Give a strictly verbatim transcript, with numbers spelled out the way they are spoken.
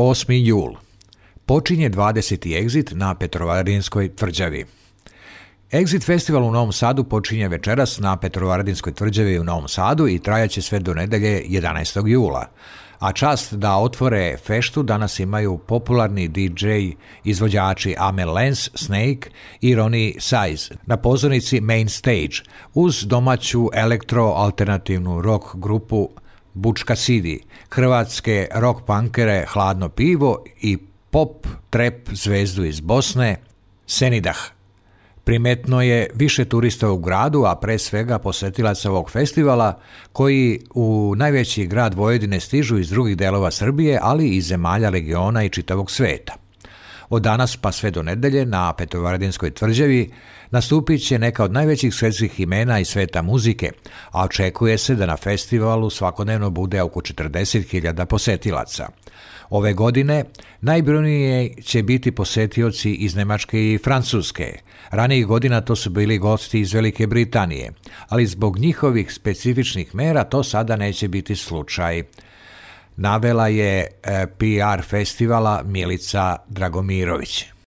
osmi jul. Počinje dvadeseti Exit na Petrovaradinskoj tvrđavi. Exit festival u Novom Sadu počinje večeras na Petrovaradinskoj tvrđavi u Novom Sadu i trajaće sve do nedelje jedanaestog jula. A čast da otvore feštu danas imaju popularni D J izvođači Amel Lens, Snake i Ronnie Size na pozornici Main Stage uz domaću elektro-alternativnu rock grupu Bučka City, hrvatske rock punkere Hladno pivo i pop trap zvezdu iz Bosne Senidah. Primetno je više turista u gradu, a pre svega posetilaca ovog festivala koji u najveći grad Vojvodine stižu iz drugih delova Srbije, ali i zemalja regiona i čitavog sveta. Od danas pa sve do nedelje na Petrovaradinskoj tvrđavi nastupit će neka od najvećih svetskih imena iz sveta muzike, a očekuje se da na festivalu svakodnevno bude oko četrdeset hiljada posetilaca. Ove godine najbrojniji će biti posetioci iz Nemačke i Francuske. Ranijih godina to su bili gosti iz Velike Britanije, ali zbog njihovih specifičnih mera to sada neće biti slučaj. Navela je P R festivala Milica Dragomirović.